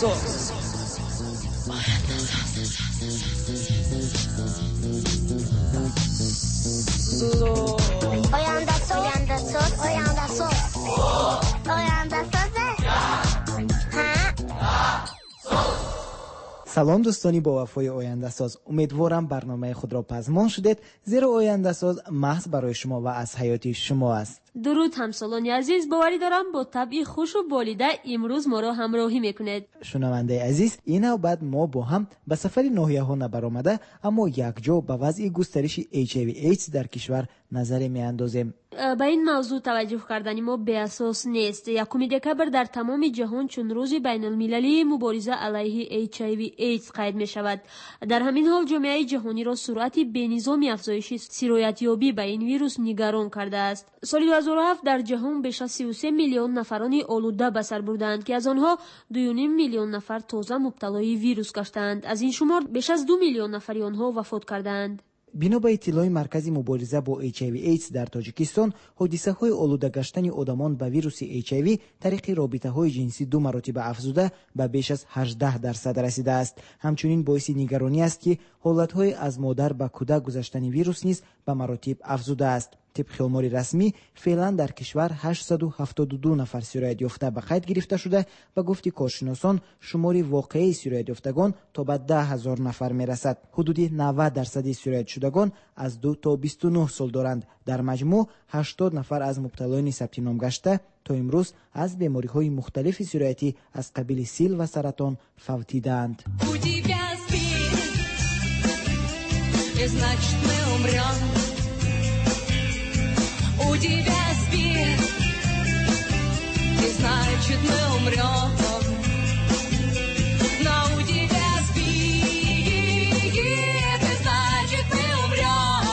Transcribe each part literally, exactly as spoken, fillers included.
Ояндасоз. Ояндасоз. Ояндасоз. Ояндасоз. Салом дӯстони бовафои Ояндасоз. Умедворам барномаи худро пазмон шудед, зеро Ояндасоз маҳз барои шумо ва аз ҳаёти шумо аст. Дуруд ҳамсолони азиз, боварӣ дорам бо табъи хушу болида имрӯз моро ҳамроҳӣ мекунед. Шунавандаи азиз, ин навбат мо бо ҳам ба сафари ноҳияҳо набаромада, аммо якҷо ба вазъи густариши Эйч Ай Ви Эйдс дар кишвар назаре меандозем. Ба ин мавзӯъ таваҷҷӯҳ кардани мо беасос нест. Якуми декабр дар тамоми ҷаҳон чун рӯзи байналмилалии мубориза алайҳи Эйч Ай Ви Эйдс қайд мешавад. Дар ҳамин ҳол ҷомеаи ҷаҳониро суръати бенизоми афзоиши сироятёбӣ ба ин вирус нигарон кардааст. Соли ду ҳазору ҳафт дар ҷаҳон беш аз сию се миллион нафарони олуда ба сар бурдаанд, ки аз онҳо дую ним миллион нафар тоза мубталои вирус гаштаанд. Аз ин шумор беш аз ду миллион нафари онҳо вафот кардаанд. Бино ба иттилои Маркази мубориза бо Эйч Ай Ви Эйдс дар Тоҷикистон, ҳодисаҳои олуда гаштани одамон ба вируси Эйч Ай Ви тариқи робитаҳои ҷинсӣ ду маротиба афзуда ба беш аз ҳаждаҳ дарсад расидааст. Ҳамчунин боиси нигаронӣ аст, ки ҳолатҳои аз модар ба кӯдак гузаштани вирус низ ба маротиб афзудааст. Тибқи омори расмӣ, феълан дар кишвар ҳаштсаду ҳафтоду ду нафар сироятёфта ба қайд гирифта шуда, ба гуфти коршиносон шумори воқеии сироятёфтагон то ба даҳ ҳазор нафар мерасад. Ҳудуди навад дарсади сироятшудагон аз ду то бисту нӯҳ сол доранд. Дар маҷмӯъ ҳаштод нафар аз мубталоёни сабтином гашта то имрӯз аз бемориҳои мухталифи сироятӣ аз қабили сил ва саратон фавтидаанд. Значит, мы умрем. У тебя спит, и значит, мы умрем. Но у тебя спит, и значит, мы умрем.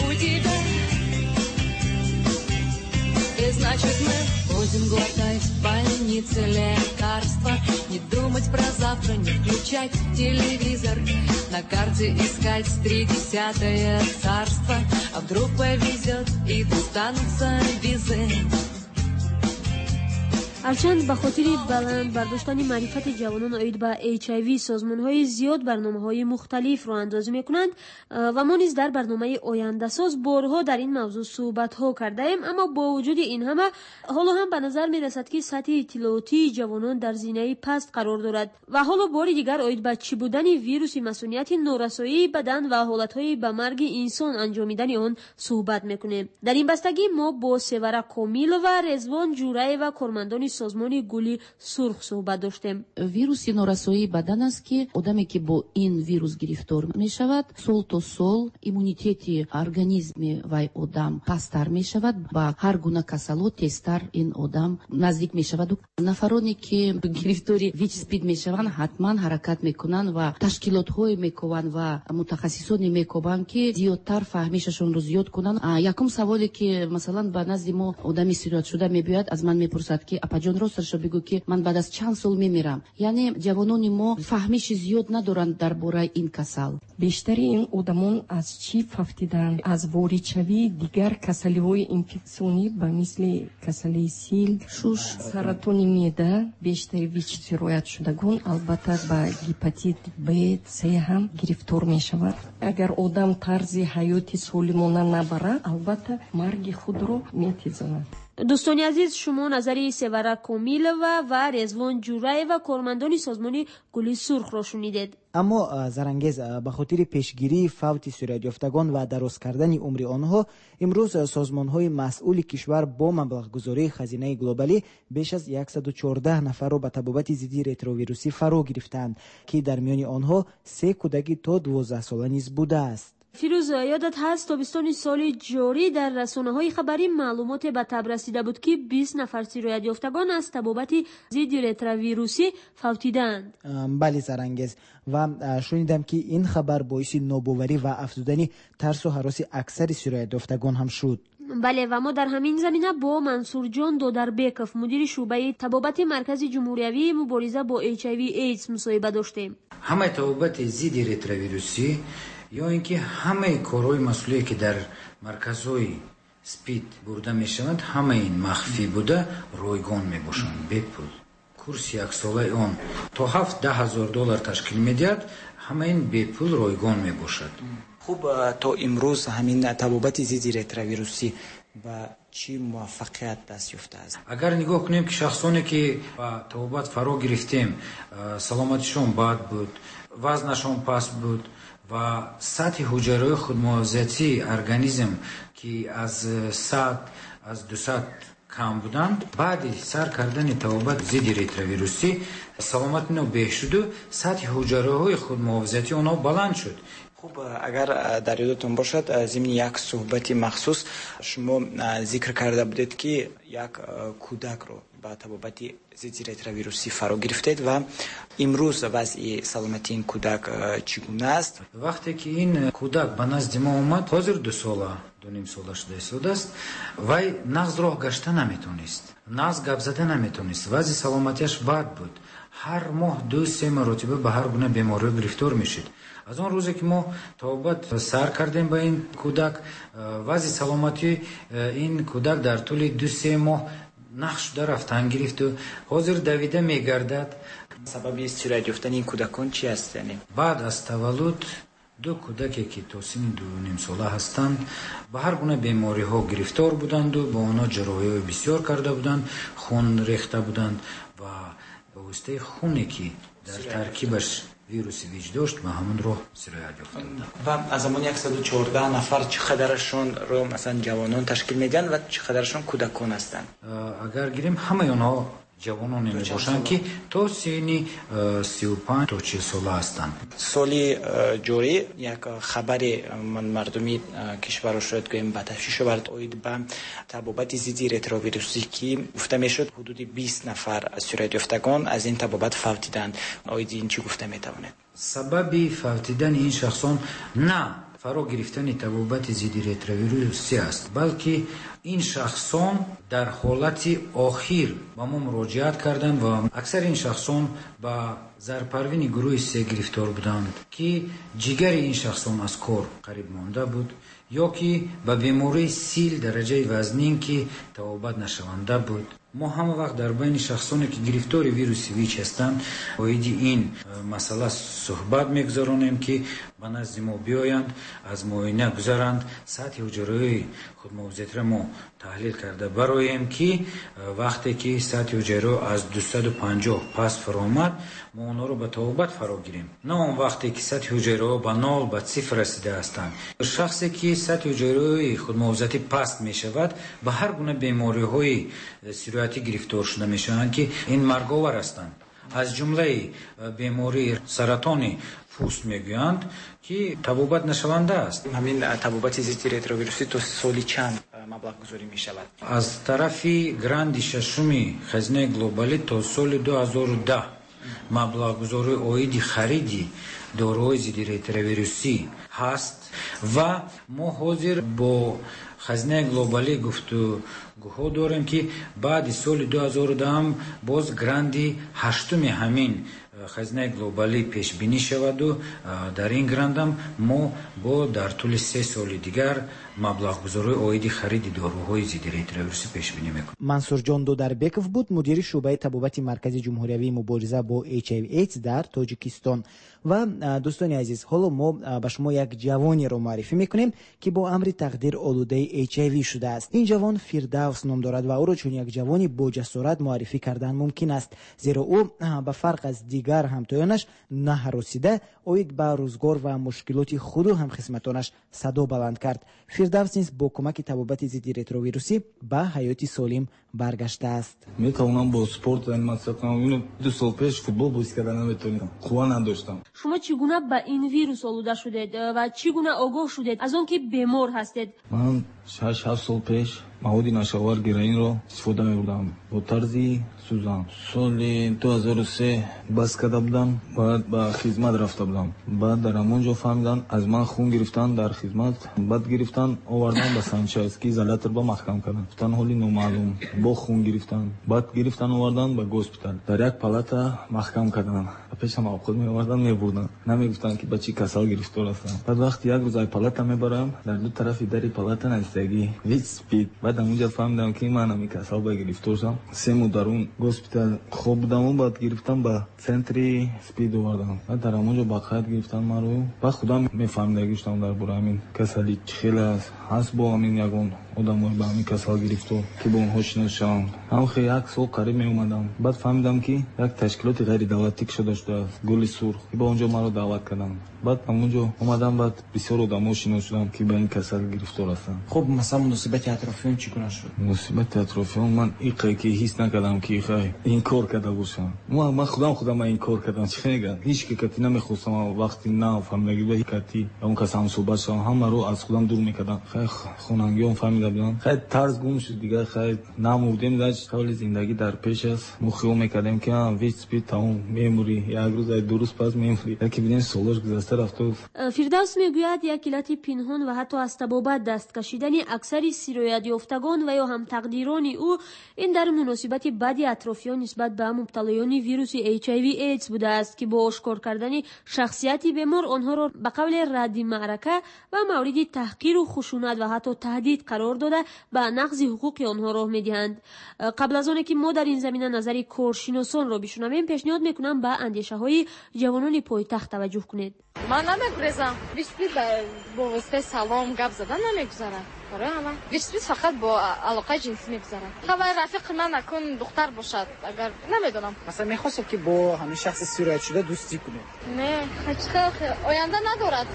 У тебя, и значит, мы будем глотать в больнице лекарства, не думать про завтра, не включать телевизор, на карте искать тридесятое царство, а вдруг повезет и достанутся визы. Ҳарчанд ба хотири баланд бардоштани маърифати ҷавонон оид ба Эйч Ай Ви созмонҳои зиёд барномаҳои мухталиф роҳандозӣ мекунанд ва мо низ дар барномаи Ояндасоз борҳо дар ин мавзӯъ суҳбатҳо кардаем, аммо бо вуҷуди ин ҳама ҳоло ҳам ба назар мерасад, ки сатҳи иттилоотии ҷавонон дар зинаи паст қарор дорад ва ҳоло бори дигар оид ба чӣ будани вируси масунияти норасоии бадан ва ҳолатҳои ба марги инсон анҷомидани он суҳбат мекунем. Дар ин бастагӣ мо бо Севара Комилова, Резвон Ҷураева, кормандони созмони Гули Сурх суҳбат доштем. Вируси норасоии бадан аст, ки одаме, ки бо ин вирус гирифтор мешавад, сол то сол иммунитети организми вай одам пасттар мешавад, ба ҳар гуна касало тезтар ин одам наздик мешавад. Нафароне, ки гирифтори ВИЧ СПИД мешаванд, ҳатман ҳаракат мекунанд ва ташкилотҳое мекобанд ва мутахассисоне мекобанд, ки зиёдтар фаҳмишашонро зиёд кунанд. Якум саволе, ки масалан ба назди мо одами сироятшуда мебиёяд, аз ман мепурсад, ки апаҷон, росташро бигӯ, ки ман баъд аз чанд сол мемирам. Яъне ҷавонони мо фаҳмиши зиёд надоранд дар бораи ин касал. Бештари ин одамон аз чӣ фавтиданд? Аз воридшавии дигар касалиҳои инфексионӣ ба мисли касалии сил, шуш, саратони меъда. Бештари ВИЧ сироятшудагон албатта ба гепатит Б, С ҳам гирифтор мешавад. Агар одам тарзи ҳаёти солимона набарад, албатта марги худро метезонад. Дӯстони азиз, шумо назари Севара Комилова ва Резвон Ҷураева, кормандони созмони Гули Сурхро шунидед. Аммо Зарангез, ба хотири пешгирии фавти сироятёфтагон ва дароз кардани умри онҳо, имрӯз созмонҳои масъули кишвар бо маблағгузории хазинаи глобалӣ беш аз яксаду чордаҳ нафарро ба табобати зидди ретровирусӣ фаро гирифтаанд, ки дар миёни онҳо се кӯдаки то дувоздаҳсола низ будааст. Фирӯз, ёдат ҳаст тобистони соли ҷорӣ дар расонаҳои хабарӣ маълумоте ба таб расида буд, ки бист нафар сироятёфтагон аз табобати зидди ретровирусӣ фавтидаанд. Бале, Зарангез, ва шунидам, ки ин хабар боиси нобоварӣ ва афзудани тарсу ҳароси аксари сироятёфтагон ҳам шуд. Бале, ва мо дар ҳамин замина бо Мансурҷон Додарбеков, мудири шӯъбаи табобати Маркази ҷумҳуриявии мубориза бо Эйч Ай Ви Эйдс мусоҳиба доштем. Ҳамаи табобати зидди ретровирусӣ ё ин ки ҳамаи корҳои масъулие, ки дар марказҳои СПИД бурда мешаванд, ҳамаи ин махфӣ буда ройгон мебошанд, бепул. Курси яксолаи он то ҳафт даҳ ҳазор доллар ташкил медиҳад. Ҳама ин бепул, ройгон мебошад. Хуб, то имрӯз ҳамин табобати зидди ретровирусӣ ба чӣ муваффақият даст ёфтааст? Агар нигоҳ кунем, ки шахсоне ки ба табобат фаро гирифтем, саломатишон бад буд, вазнашон паст буд ва сатҳи ҳуҷайраҳои худмуҳофизатии организм ки аз сад, аз дусад кам буданд, баъди сар кардани табобат зидди ретровирусӣ саломати онҳо беҳ шуду сатҳи ҳуҷайраҳои худмуҳофизатии онҳо баланд шуд. Хуб, агар дар ёдатон бошад, зимни як суҳбати махсус шумо зикр карда будед, ки як кӯдакро ба табобати зидди ретровирусӣ фаро гирифтед ва имрӯз вазъи саломатии ин кӯдак чӣ гуна аст? Вақте ки ин кӯдак ба назди мо омад, ҳозир ду сола, ду ним сола шуда истодааст, вай нағз роҳ гашта наметонист, нағз гап зада наметонист, вазъи саломатиаш бад буд. Ҳар моҳ ду се маротиба ба ҳар гуна бемориҳо гирифтор мешид. Аз он рӯзе ки мо табобат сар кардем ба ин кӯдак, вазъи саломатии ин кӯдак дар тӯли ду се моҳ нақш шуда рафтан гирифту ҳозир давида мегардад. Сабаби сироят ёфтани ин кӯдакон чи аст? Яъне баъд аз таваллуд ду кӯдаке ки то синни дунимсола ҳастанд, ба ҳар гуна бемориҳо гирифтор буданду ба онҳо ҷарроҳиҳои бисёр карда буданд, хун рехта буданд ва ба воситаи хуне ки дар таркибаш вируси ВИЧ дошт, ба ҳамон роҳ сироят ёфта буданд. Ва аз замони яксаду чордаҳ нафар чӣ қадарашонро масалан ҷавонон ташкил медиҳанд ва чӣ қадарашон кӯдакон ҳастанд? Агар гирем, ҳамаи онҳо ҷавононе мебошанд, ки то синни сию панҷ то чил сола ҳастанд. Соли ҷорӣ як хабаре мардуми кишварро шояд гӯем ба ташвиш овард оид ба табобати зидди ретровирусӣ, ки гуфта мешуд ҳудуди бист нафар сироятёфтагон аз ин табобат фавтиданд. Оиди ин чӣ гуфта метавонед? Сабаби фавтидани ин шахсон на фаро гирифтани табобати зидди ретровирусӣ аст, балки ин шахсон дар ҳолати охир ба мо муроҷиат карданд ва аксари ин шахсон ба зарпарвини гурӯҳи се гирифтор буданд, ки ҷигари ин шахсон аз кор қариб монда буд ё ки ба бемории сил дараҷаи вазнин, ки табобат нашаванда буд. Мо ҳама вақт дар байни шахсоне ки гирифтори вируси ВИЧ ҳастанд, оиди ин масъала суҳбат мегузаронем, ки ба назди мо биёянд, аз муоина гузаранд, сатҳи ҳуҷайраҳои худмуҳофизатиро мо таҳлил карда бароем, ки вақте ки сатҳи ҳуҷайраҳо аз дусаду панҷоҳ пас фаромад, мо онҳоро ба табобат фаро гирем, на он вақте ки сатҳи ҳуҷайраҳо ба нол, ба сифр расида ҳастанд. Шахсе ки сатҳи ҳуҷайраҳои худмуҳофизатӣ паст мешавад, ба ҳар гуна бемориҳои сироятӣ гирифтор шуда мешаванд, ки ин марговар ҳастанд. Аз ҷумлаи бемории саратони пӯст мегӯянд, ки табобат нашаванда аст. Ҳамин табобати зидди ретровирусӣ то соли чанд маблағгузорӣ мешавад? Аз тарафи гранди шашуми хазинаи глобалӣ то соли ду ҳазору даҳ маблағгузории оиди хариди доруҳои зидди ретровирусӣ ҳаст ва мо ҳозир бо хазинаи глобалӣ гуфтугӯҳо дорем, ки баъди соли ду ҳазору даҳам боз гранди ҳаштуми ҳамин хазинаи глобалӣ пешбинӣ шаваду дар ин грандам мо бо дар тӯли се соли дигар маблағгузории оиди хариди доруҳои зидди ретровирусӣ пешбинӣ мекунем. Мансурҷон Дударбеков буд, мудири шӯъбаи табобати Маркази ҷумҳуриявии мубориза бо Эйч Ай Ви Эйдс дар Тоҷикистон. Ва дӯстони азиз, ҳоло мо ба шумо як ҷавонеро муаррифӣ мекунем, ки бо амри тақдир олудаи Эйч Ай Ви шудааст. Ин ҷавон Фирдавс ном дорад ва ӯро чун як ҷавони боҷасорат муаррифӣ кардан мумкин аст, зеро ӯ ба фарқ аз дигар ҳамтоёнаш наҳаросида оид ба рӯзгор ва мушкилоти худу ҳамхисматонаш садо баланд кард. Фирдавс низ бо кӯмаки табобати зидди ретровирусӣ ба ҳаёти солим баргаштааст. Метавонам бо спорт заниматься кунам. Ино ду сол пеш футбол бозӣ карда наметавонистам, қувва надоштам. Шумо чӣ гуна ба ин вирус олуда шудед ва чӣ гуна огоҳ шудед аз он ки бемор ҳастед? Ман шаш ҳафт сол пеш маводи нашавар героинро истифода мебурдам бо тарзи сӯзан. Соли ду ҳазору се бас карда будам, баъд ба хизмат рафта будам. Баъд дар ҳамон ҷо фаҳмидан, аз ман хун гирифтан дар хизмат, баъд гирифтан овардан ба санчастки изолятор ба маҳкам кардан. Гуфтан ҳоли номаълум, бо хун гирифтан, баъд гирифтан овардан ба госпитал, дар як палата маҳкам кардан. Пешам овқот меоварданд, мебурданд. Намегуфтанд, ки ба чӣ касал гирифтор ҳастам. Баъд вақти як рӯз ай палата мебарам, дар ду тарафи дари палата навиштагӣ ВИЧ СПИД. Баъд ҳамунҷа фаҳмидам, ки ман ҳамин касал ба гирифтор шудам. Се моҳ дар он госпитал хоб будаму баъд гирифтам ба центри СПИД овардам. Баъд дар ҳамонҷо ба қайд гирифтан маро. Баъд худам мефаҳмидагӣ шудам дар бораи ҳамин касалӣ чӣ хел аст. Ҳаст бо ҳамин ягон одамое ба ҳамин касал гирифтор, ки бо онҳо шинос шавам. Ҳам хел як сол қариб меомадам. Баъд фаҳмидам, ки як ташкилоти ғайридавлатӣ кушода шудааст, Гули сурх, ки ба онҷо маро даъват карданд. Баъд ҳамонҷо омадам, баъд бисёр одамо шинос шудам, ки ба ин касал гирифтор ҳастанд. Хуб, масалан, муносибати атрофиён чӣ гуна шуд? Муносибати атрофиён ман иқай ки ҳис накардам, ки иқай инкор карда бошам. Ман худам худам инкор кардам. Чӣ мегӯям? Ҳеҷ ки кати намехостам вақти нав фаҳмидагӣ ба кати он кас ҳамсӯҳбат шавам, ҳамаро аз худам дур мекардам. Хай хонангиён фаҳмида буданд. Хай тарз гум шуд дигар, хай намурдем, дач ҳоли зиндагӣ дар пеш аст. Мо хиёл мекардем, ки ВИЧ СПИД тамом, мемурӣ, як рӯз ай ду рӯз пас мемурӣ. Яке бинем солош гузашта рафтааст. Фирдавс мегӯяд, як иллати пинҳон ва ҳатто аз табобат даст кашидани аксари сироятёфтагон ва ё ҳамтақдирони ӯ ин дар муносибати бади атрофиён нисбат ба мубталоёни вируси H I V AIDS будааст, ки бо ошкор кардани шахсияти бемор онҳоро ба қавли радди маърака ва мавриди таҳқиру хушунат ва ҳатто таҳдид қарор дода ба нақзи ҳуқуқи онҳо роҳ медиҳанд. Қабл аз оне ки мо дар ин замина назари коршиносонро бишунавем, пешниҳод мекунам ба андешаҳои ҷавонони пойтахт таваҷҷӯҳ кунед. Ман намегурезам. ВИЧ СПИД бо воситаи салом гап задан намегузарад. Барои ҳама ВИЧ СПИД фақат бо алоқаи ҷинсӣ мегузарад. Хабар рафиқи ман акун духтар бошад, агар намедонам. Масалан, мехостед, ки бо ҳамин шахси сироятшуда дӯстӣ кунед? Не, оянда надорад.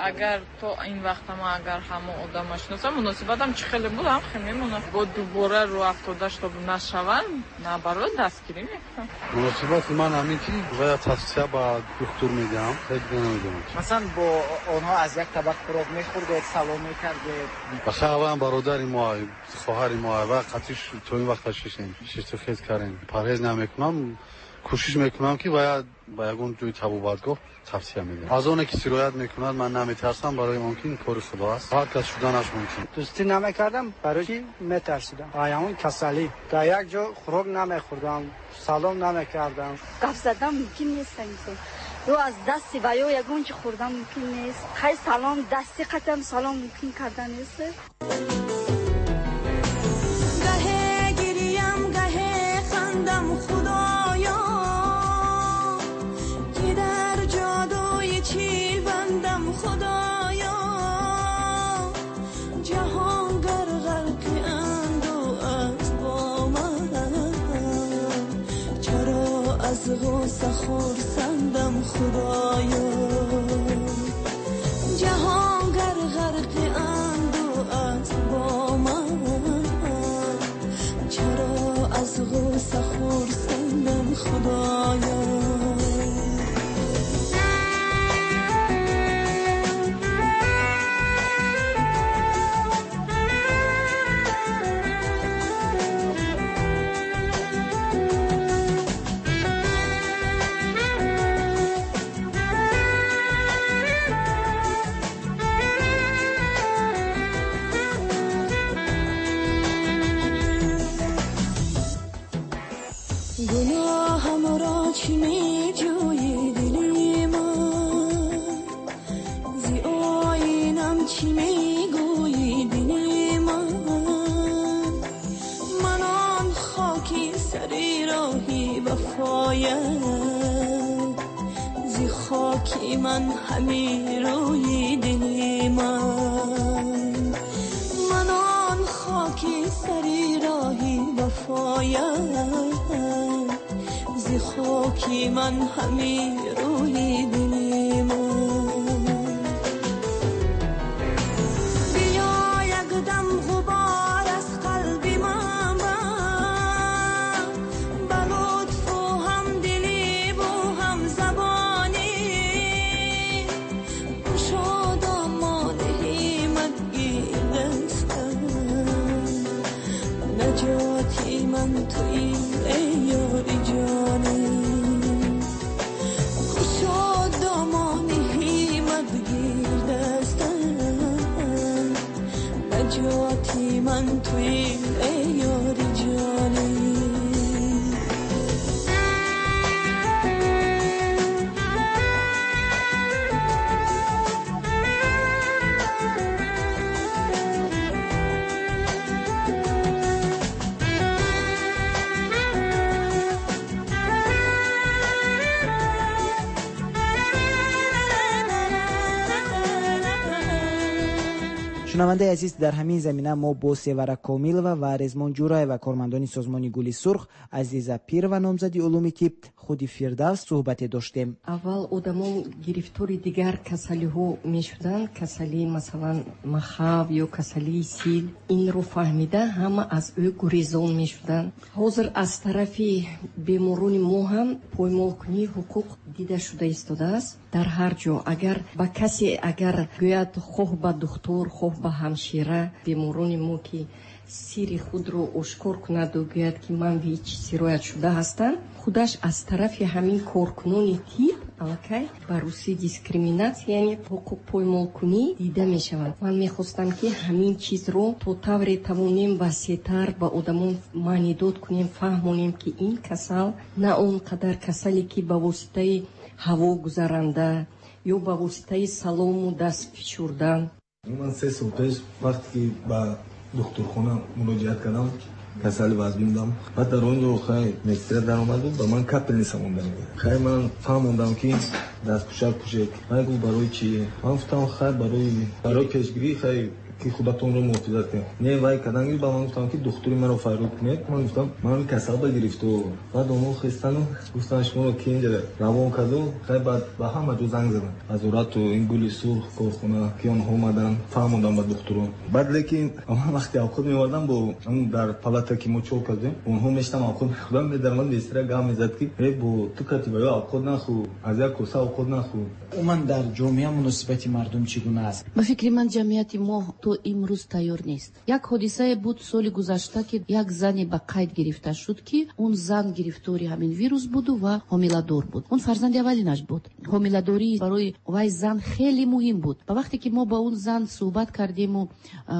Агар то ин вақта ман агар ҳамон одама шиносам, муносибатам чӣ хеле буд, ҳам хел мемонад. Бо дубора рӯ афтода чтоб нашаванд, наоборот дастгирӣ мекунам. Муносибати ман ҳамин ки бояд тавсия ба духтур медиҳам, хеле намедонам. Масалан, бо онҳо аз як табақ хӯрок мехӯрдед, салом мекардед? Бахайр, бародари мо, хоҳари мо, ва қатиш то ин вақт шишем, шишту хез кардем. Парҳез намекунам, кӯшиш мекунам, ки бояд ба ягон ҷои табобатгоҳ тавсия медиҳам. Аз оне ки сироят мекунад ман наметарсам, барои он ки ин кори худо аст, ҳар кас шуданаш мумкин. Дӯстӣ намекардам, барои ки метарсидам. Ҳамон касалӣ. Дар як ҷо хӯрок намехӯрдам, салом намекардам. Гап задан мумкин нест. Ё аз дасти ва ё ягон чи хӯрдан мумкин нест. Хай салом, дасти қатам салом мумкин кардан нест. Гаҳе гирям, гаҳе хандам, худоё, ки дар ҷодуи чил бандам, худоё. Ҷаҳон гар ғарқи андӯ аст бо ман, чаро аз ғусса хурсандам, худоё. Ҷаҳон гар ғарқи андӯ аст бо ман, чаро аз ғусса хурсандам, худоё. Гуноҳамро чӣ меҷӯӣ, дили ман? Зи оинам чӣ мегӯӣ, дили ман? Ман он хоки сари роҳи вафоям, зи хоки ман ҳамин рӯи дили ман. Ман он хоки сари роҳи вафоям, зи хоки ман ҳамин рӯи дили ман. Биё якдам ғубор аз қалби ман бар, ба лутфу ҳамдилӣ бу ҳамзабонӣ. Кушодамони ҳиммат гир дастам, наҷоти ман туӣ, эй ёри ҷонӣ. Кушодамони ҳиммат гир дастам, наҷоти ман туӣ, эй ёри ҷонӣ. Шунавандаи азиз, дар ҳамин замина мо бо Севара Комилова ва Резмон Ҷураева, кормандони созмони Гули Сурх, Азиза Пирова, номзади улуми тиб, худи Фирдавс суҳбате доштем. Аввал одамон гирифтори дигар касалиҳо мешуданд, касалии масалан махав ё касалии сил. Инро фаҳмида ҳама аз ӯ гурезон мешуданд. Ҳозир аз тарафи беморони мо ҳам поймолкунии ҳуқуқ дида шуда истодааст дар ҳар ҷо. Агар ба касе агар гӯяд, хоҳ ба духтур, хоҳ ба ҳамшира, беморони мо ки сири худро ошкор кунаду гӯяд, ки ман ВИЧ сироят шуда ҳастам, худаш аз тарафи ҳамин коркунони тиб аллакай ба русӣ дискриминатсия, яъне ҳуқуқпоймолкунӣ дида мешавад. Ман мехостам, ки ҳамин чизро то тавре тавонем васеътар ба одамон маънидод кунем, фаҳмонем, ки ин касал на он қадар касале, ки ба воситаи ҳаво гузаранда ё ба воситаи салому даст фишурдан. Ман се сол пеш вақте ки ба духтурхона муроҷиат кардам, касали вазбин будам. Баъд дар он ҷо хай медсестра даромад, ба ман капельница монда. Хай ман фаҳмондам, ки дастпӯшак пӯшед. Ман гуфт, барои чӣ? Ман гуфтам, хай барои барои пешгирӣ, хай ки худатонро муҳофизат кунед. Не, вай кадан ба ман гуфтам, ки духтури маро фарёд кунед. Ман гуфтам, ман касал ба гирифту. Баъд онҳо хестану гуфтан, шуморо ки инҷа равон карду. Хай баъд ба ҳама ҷо занг задам, вазорату ин Гули Сурх, корхона, ки онҳо омадан, фаҳмондам ба духтурон. Баъд лекин ман вақте авқот меовардам, бо дар палата ки мо чор кардем, онҳо мештам авқот мехӯрдам, медаромад медсестра, гап мезад, ки э бо ту кати ба ё авқот нахӯр, аз як коса авқот нахӯр. Умуман дар ҷомеа муносибати мардум чӣ гуна аст? Ба фикри ман, ҷамъияти мо то имрӯз тайёр нест. Як ҳодисае буд соли гузашта, ки як зане ба қайд гирифта шуд, ки он зан гирифтори ҳамин вирус буду ва ҳомиладор буд. Он фарзанди аввалинаш буд. Ҳомиладорӣ барои вай зан хеле муҳим буд. Ба вақте ки мо ба он зан суҳбат кардему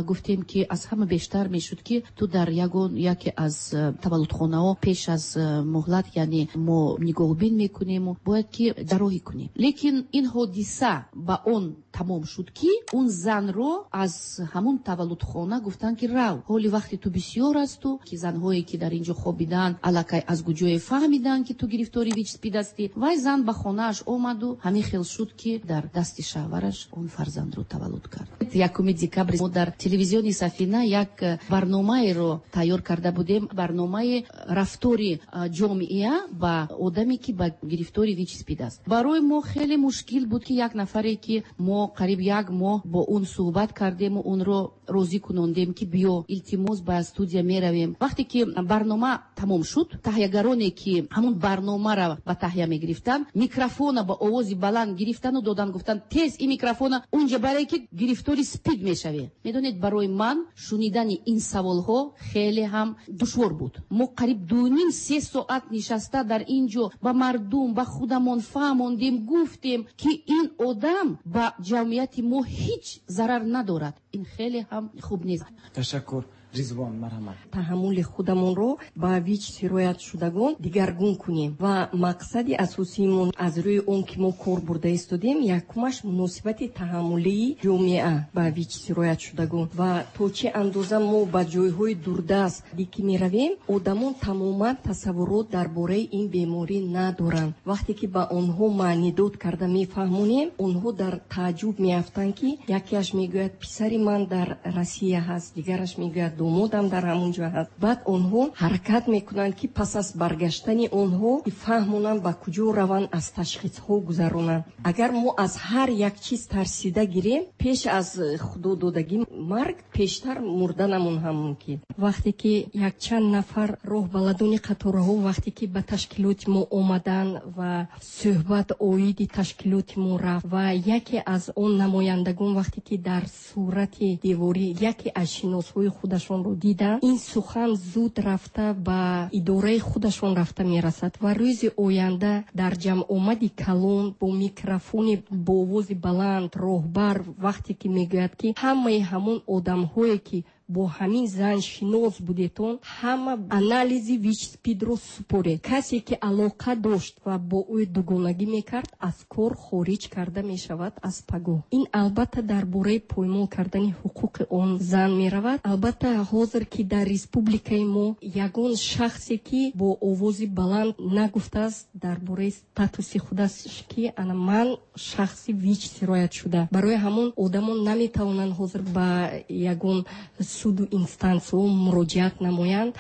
гуфтем, ки аз ҳама бештар мешуд, ки ту дар ягон яке аз таваллудхонаҳо пеш аз муҳлат, яъне мо нигоҳбин мекунему бояд ки ҷарроҳӣ кунем. Лекин ин ҳодиса ба он тамом шуд, ки он занро аз ҳамун таваллудхона гуфтанд, ки рав, ҳоли вақти ту бисёр асту, ки занҳое ки дар ин ҷо хобиданд, аллакай аз куҷое фаҳмиданд, ки ту гирифтори ВИЧ СПИД ҳастӣ. Вай зан ба хонааш омаду ҳамин хел шуд, ки дар дасти шавҳараш он фарзандро таваллуд кард. Якуми декабр мо дар телевизиони Сафина як барномаеро тайёр карда будем, барномаи рафтори ҷомеа ба одаме, ки ба гирифтори ВИЧ СПИД аст. Барои мо хеле мушкил буд, ки як нафаре, ки мо қариб як моҳ бо он суҳбат кардему онро розӣ кунондем, ки биё, илтимос, ба студия меравем. Вақте ки барнома тамом шуд, таҳиягароне, ки ҳамун барномаро ба таҳия мегирифтанд, микрофона ба овози баланд гирифтану додан, гуфтанд, тез ин микрофона унҷа баре, ки гирифтори СПИД мешавӣ. Медонед, барои ман шунидани ин саволҳо хеле ҳам душвор буд. Мо қариб дуним се соат нишаста дар ин ҷо ба мардум, ба худамон фаҳмондем, гуфтем, ки ин одам ба ҷамъияти мо ҳеҷ зарар надорад. Ин хеле ҳам хуб нест. Ташаккур. Ризвон, марҳамат. Таҳаммули худамонро ба ВИЧ сироятшудагон дигаргун кунем ва мақсади асосиимон аз рӯи он ки мо кор бурда истодем, якумаш муносибати таҳаммулии ҷомеа ба ВИЧ сироятшудагон ва то чӣ андоза мо ба ҷойҳои дурдаст ки меравем, одамон тамоман тасаввурот дар бораи ин беморӣ надоранд. Вақте ки ба онҳо маънидод карда мефаҳмонем, онҳо дар тааҷҷуб меафтанд, ки якеаш мегӯяд, писари ман дар Россия ҳаст, дигараш мегӯяд, домодам дар ҳамон ҷо ҳаст. Баъд онҳо ҳаракат мекунанд, ки пас аз баргаштани онҳо фаҳмонанд, ба куҷо раванд, аз ташхисҳо гузаронанд. Агар мо аз ҳар як чиз тарсида гирем, пеш аз худододагӣ марг пештар мурданамон ҳам мумкин. Вақте ки якчанд нафар роҳбаладони қатораҳо вақте ки ба ташкилоти мо омаданд ва суҳбат оиди ташкилоти мо рафт ва яке аз он намояндагон вақте ки дар сурати деворӣ яке аз шиносҳои худашонро диданд, ин сухан зуд рафта ба идораи худашон рафта мерасад ва рӯзи оянда дар ҷамъомади калон бо микрофони бо овози баланд роҳбар вақте ки мегӯяд, ки ҳамаи ҳамон одамҳое ки бо ҳамин зан шинос будетон, ҳама анализи ВИЧ СПИДро супоред. Касе ки алоқа дошт ва бо ӯ дугонагӣ мекард, аз кор хориҷ карда мешавад аз пагоҳ. Ин албатта дар бораи поймол кардани ҳуқуқи он зан меравад. Албатта ҳозир ки дар республикаи мо ягон шахсе ки бо овози баланд нагуфтааст дар бораи статуси худаш, ки ана ман шахси ВИЧ сироят шуда. Барои ҳамон одамон наметавонанд ҳозир ба ягон суду инстансиҳо муроҷиат намоянд.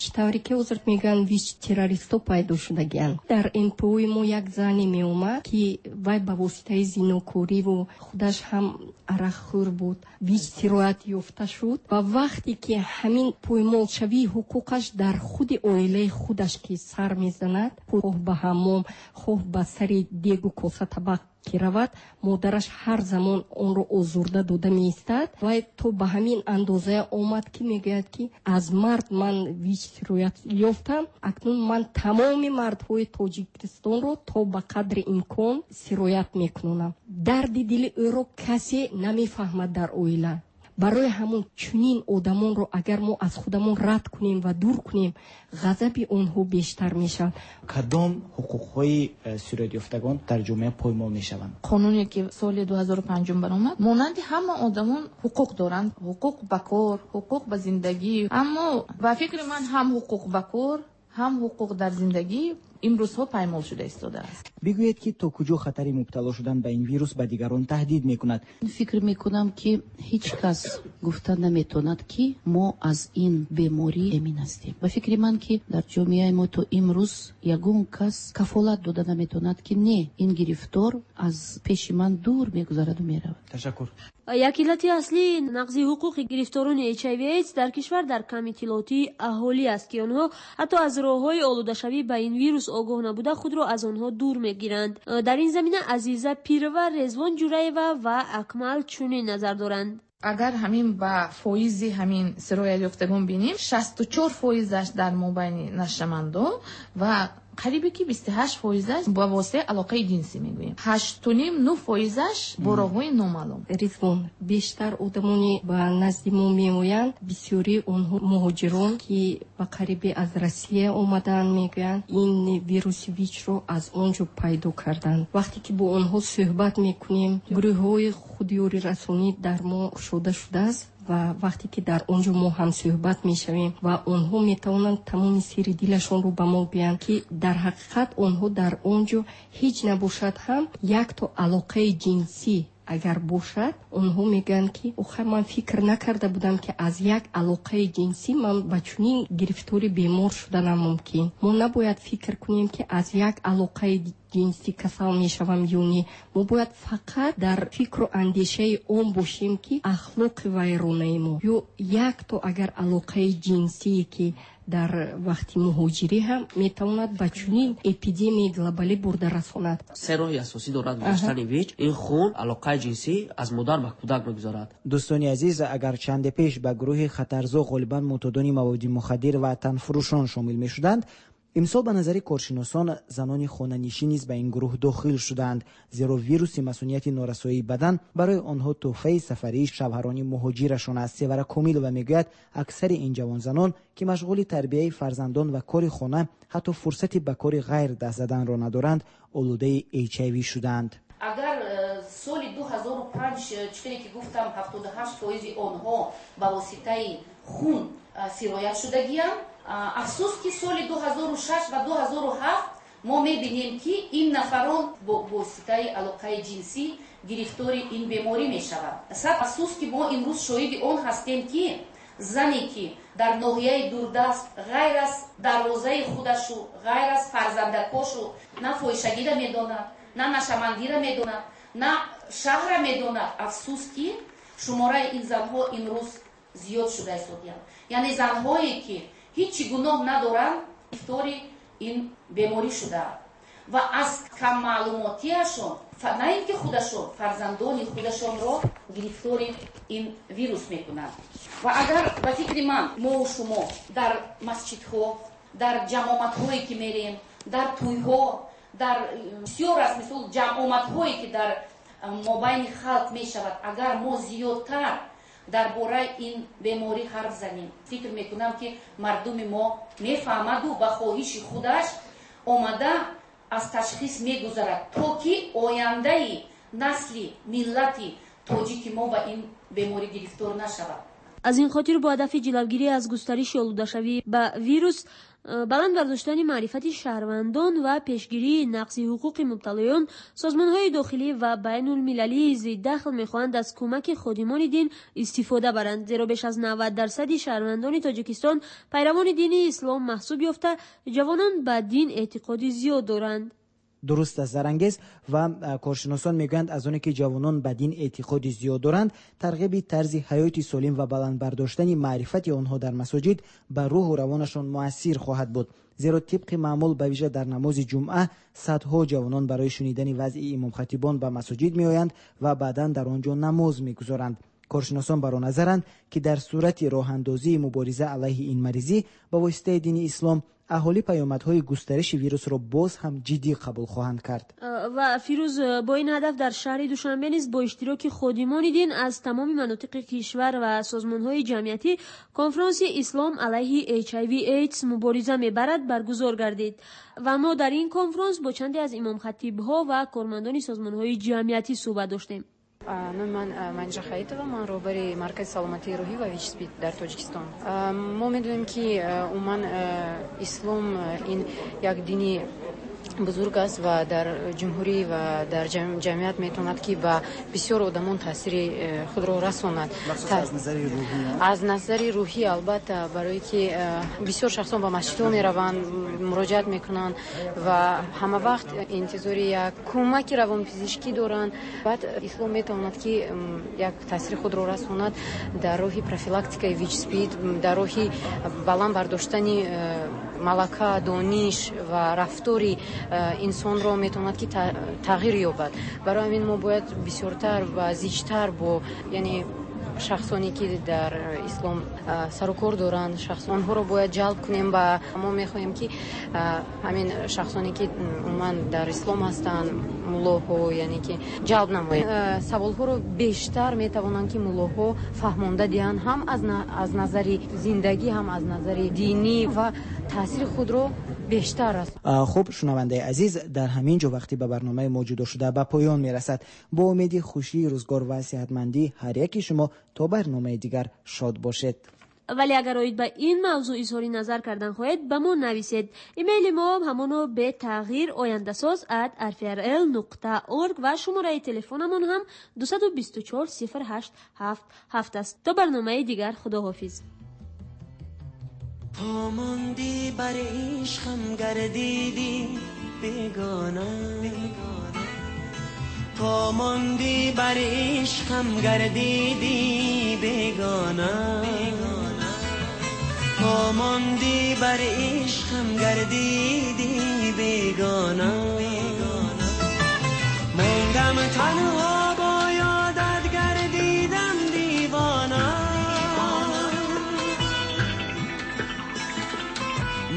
Чӣ тавре ки ҳозир мегӯянд, ВИЧ террористҳо пайдо шудагианд. Дар эн пэ ои мо як зане меомад, ки вай ба воситаи зинокориву худаш ҳам арақхӯр буд, ВИЧ сироят ёфта шуд. Ва вақте ки ҳамин поймолшавии ҳуқуқаш дар худи оилаи худаш ки сар мезанад, хоҳ ба ҳаммом, хоҳ ба сари дегу коса табақ ки равад, модараш ҳар замон онро озурда дода меистад. Вай то ба ҳамин андоза омад, ки мегӯяд, ки аз мард ман ВИЧ сироят ёфтам, акнун ман тамоми мардҳои Тоҷикистонро то ба қадри имкон сироят мекунонам. Дарди дили ӯро касе намефаҳмад дар оила. Барои ҳамон чунин одамонро агар мо аз худамон рад кунем ва дур кунем, ғазаби онҳо бештар мешавад. Кадом ҳуқуқҳои э, сироятёфтагон дар ҷомеа поймол мешаванд? Қонуне ки соли ду ҳазору панҷум баромад, монанди ҳама одамон ҳуқуқ доранд: ҳуқуқ ба кор, ҳуқуқ ба зиндагӣ. Аммо ба фикри ман, ҳам ҳуқуқ ба кор, ҳам ҳуқуқ дар зиндагӣ имрӯзҳо паймол шуда истодааст. Бигӯед, ки то куҷо хатари мубтало шудан ба ин вирус ба дигарон таҳдид мекунад? Фикр мекунам, ки ҳеҷ кас гуфта наметавонад, ки мо аз ин беморӣ эмин ҳастем. Ба фикри ман, ки дар ҷомеаи мо то имрӯз ягон кас кафолат дода наметавонад, ки не, ин гирифтор аз пеши ман дур мегузараду меравад. Ташаккур. Як иллати аслии нақзи ҳуқуқи гирифторони H I V AIDS дар кишвар дар кам иттилоотии аҳолӣ аст, ки онҳо ҳатто аз роҳҳои олудашавӣ ба ин вирус огоҳ набуда, худро аз онҳо дур мегиранд. Дар ин замина Азиза Пирова, Резвон Ҷураева ва Акмал чунин назар доранд. Агар ҳамин ба фоизи ҳамин сироятёфтагон бинем, шасту чор фоизаш дар мобайни нашъамандон ва қарибе ки бисту ҳашт фоизаш ба воситаи алоқаи ҷинсӣ мегӯем, ҳашту ним, нӯ фоизаш бо роҳҳои номаълум. Ризвон, бештар одамоне ба назди мо меоянд, бисёри онҳо муҳоҷирон, ки ба қарибе аз Россия омадаанд, мегӯянд, ин вируси ВИЧро аз он ҷо пайдо карданд. Вақте ки бо онҳо суҳбат мекунем, гурӯҳҳои худёрирасонӣ дар мо кушода шудааст ва вақте ки дар он ҷо мо ҳамсӯҳбат мешавем ва онҳо метавонанд тамоми сирри дилашонро ба мо гӯянд, ки дар ҳақиқат онҳо дар он ҷо ҳеҷ набошад ҳам якто алоқаи ҷинсӣ агар бошад, онҳо мегӯянд, ки охир ман фикр накарда будам, ки аз як алоқаи ҷинсӣ ман ба чунин гирифтори бемор шуданам мумкин. Мо набояд фикр кунем, ки аз як алоқаи ҷинсӣ касал мешавам ё не. Мо бояд фақат дар фикру андешаи он бошем, ки ахлоқи вайронаи мо ё якто агар алоқаи ҷинсие, ки дар вақти муҳоҷирӣ ҳам метавонад ба чунин эпидемияи глобалӣ бурда расонад. Се роҳи асосӣ дорад гузаштани ВИЧ: ин хун, алоқаи ҷинсӣ, аз модар ба кӯдак мегузарад. Дӯстони азиз, агар чанде пеш ба гурӯҳи хатарзо ғолибан мӯътодони маводи мухаддир ва танфурӯшон шомил мешуданд, имсол ба назари коршиносон занони хонанишин низ ба ин гурӯҳ дохил шудаанд, зеро вируси масунияти норасоии бадан барои онҳо тӯҳфаи сафарии шавҳарони муҳоҷирашон аст. Севара Комилова мегӯяд, аксари ин ҷавонзанон, ки машғули тарбияи фарзандон ва кори хона, ҳатто фурсати ба кори ғайр даст заданро надоранд, олудаи H I V шудаанд. Агар э, соли ду ҳазору панҷ, э, чӣ ки гуфтам, ҳафтоду ҳашт фоизи онҳо ба воситаи хун э, сироят шудагианд, афсӯс, ки соли ду ҳазору шаш ва ду ҳазору ҳафт мо мебинем, ки ин нафарон бо воситаи алоқаи ҷинсӣ гирифтори ин беморӣ мешаванд. Сад афсӯс, ки мо имрӯз шоҳиди он ҳастем, ки зане, ки дар ноҳияи дурдаст ғайр аз дарвозаи худашу, ғайр аз фарзандакошу на фоҳишагиро медонад, на нашъамандиро медонад, на шаҳрро медонад, афсӯс, ки шумораи ин занҳо имрӯз зиёд шуда истодиянд. Яъне занҳое, ки ҳеҷ гуноҳ надоранд, гирифтори ин беморӣ шудаанд ва аз каммаълумотиашон на ин ки худашон, фарзандони худашонро гирифтори ин вирус мекунанд. Ва агар ба фикри ман мову шумо дар масҷидҳо, дар ҷамъомадҳое, ки мерем, дар тӯйҳо, дар бисёр аз мисол ҷамъомадҳое, ки дар мобайни халқ мешавад, агар мо зиёдтар Дар бораи ин беморӣ ҳарф занем. Фикр мекунам, ки мардуми мо мефаҳмаду ба хоҳиши худаш омада аз ташхис мегузарад, то ки ояндаи насли миллати тоҷики мо ба ин беморӣ гирифтор нашавад. Аз ин хотир бо ҳадафи ҷилавгирӣ аз густариши олудашавӣ ба вирус, баланд бардоштани маърифати шаҳрвандон ва пешгирии нақзи ҳуқуқи мубталоён, созмонҳои дохилӣ ва байнулмилалии зиддахл мехоҳанд аз кӯмаки ходимони дин истифода баранд, зеро беш аз навад дарсади шаҳрвандони Тоҷикистон пайравони дини ислом маҳсуб ёфта, ҷавонон ба дин эътиқоди зиёд доранд. Дуруст аст, Зарангез, ва коршиносон мегӯянд, аз оне ки ҷавонон ба дин эътиқоди зиёд доранд, тарғиби тарзи ҳаёти солим ва баланд бардоштани маърифати онҳо дар масоҷид ба рӯҳу равонашон муассир хоҳад буд. Зеро тибқи маъмул ба вижа дар намози ҷумъа садҳо ҷавонон барои шунидани вазъи имомхатибон ба масоҷид меоянд ва баъдан дар он ҷо намоз мегузоранд. Коршиносон бар он назаранд, ки дар сурати роҳандозии мубориза алайҳи ин маризӣ ба воситаи дини ислом, аҳолӣ паёмадҳои густариши вирусро боз ҳам ҷиддӣ қабул хоҳанд кард. Ва Фирӯз, бо ин ҳадаф дар шаҳри Душанбе низ бо иштироки ходимони дин аз тамоми манотиқи кишвар ва созмонҳои ҷамъиятӣ конфронси Ислом алайҳи Эйч Ай Ви Эйдс мубориза мебарад баргузор гардид. Ва мо дар ин конфронс бо чанде аз имомхатибҳо ва кормандони созмонҳои ҷамъиятӣ суҳбат доштем. Номи ман Манижа Хаитова, ман роҳбари Маркази саломатии рӯҳӣ ва ВИЧ-СПИД дар Тоҷикистон. Мо медонем, ки умуман ислом ин як дини бузург аст ва дар ҷумҳурӣ ва дар ҷамъият метавонад, ки ба бисёр одамон таъсири худро расонад. Аз назари рӯҳӣ? Аз назари рӯҳӣ, албатта, барое ки бисёр шахсон ба масҷидҳо мераванд, муроҷиат мекунанд ва ҳама вақт интизори як кӯмаки равонпизишкӣ доранд. Баъд ислом метавонад, ки як таъсири худро расонад дар роҳи профилактикаи ВИЧ-СПИД, дар роҳи баланд бардоштани малака, дониш ва рафтори инсонро метавонад, ки тағйир ёбад. Барои ҳамин мо бояд бисёртар ва зичтар бо, яъне шахсоне ки дар ислом сарукор доранд, онҳоро бояд ҷалб кунем. Ба мо мехоҳем, ки ҳамин шахсоне ки умуман дар ислом ҳастанд, муллоҳо, яъне ки ҷалб намоем. Саволҳоро бештар метавонанд, ки муллоҳо фаҳмонда диҳанд, ҳам аз назари зиндагӣ, ҳам аз назари динӣ, ва таъсири худро бештар аст. Хуб, шунавандаи азиз, дар ҳамин ҷо вақти ба барномаи мо ҷудо шуда ба поён мерасад. Бо умеди хушии рӯзгор ва сеҳатмандии ҳар яки шумо то барномаи дигар шод бошед. Вале агар оид ба ин мавзӯъ изҳори назар кардан хоҳед, ба мо нависед. Имейли мо ҳамоно бетағйир ояндасоз at rfrl нуқта org ва шумораи телефонамон ҳам дусаду бисту чор сифр ҳашт ҳафт ҳафт аст. То барномаи дигар, худоҳофиз. تا ماندی بر عشقم گردیدی بیگانه، تا ماندی بر عشقم گردیدی بیگانه، تا ماندی بر عشقم گردیدی بیگانه، ماندم تنها با یادت گردیدم دیوانه،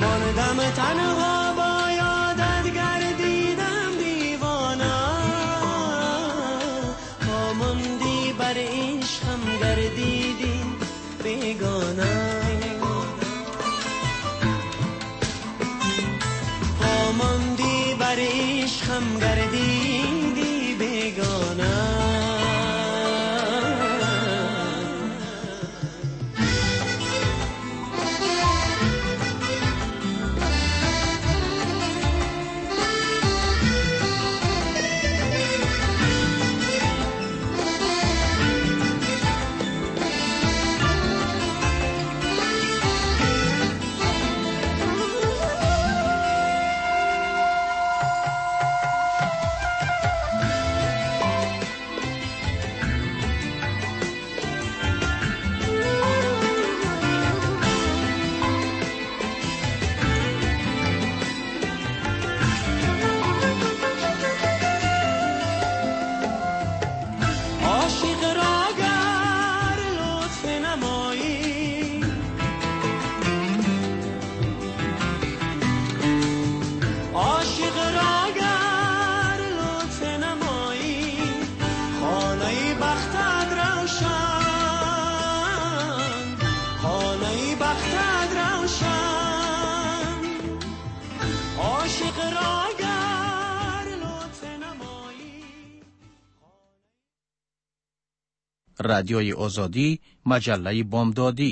ماندم تنها با یادت گردیدم دیوانه، تا ماندی بر عشقم گردیدی بیگانه، تا ماندی بر عشقم گردیدی بیگانه. بختت روشن، عاشق را گر لطف نمایی. Радиои Озодӣ, маҷаллаи бомдодӣ.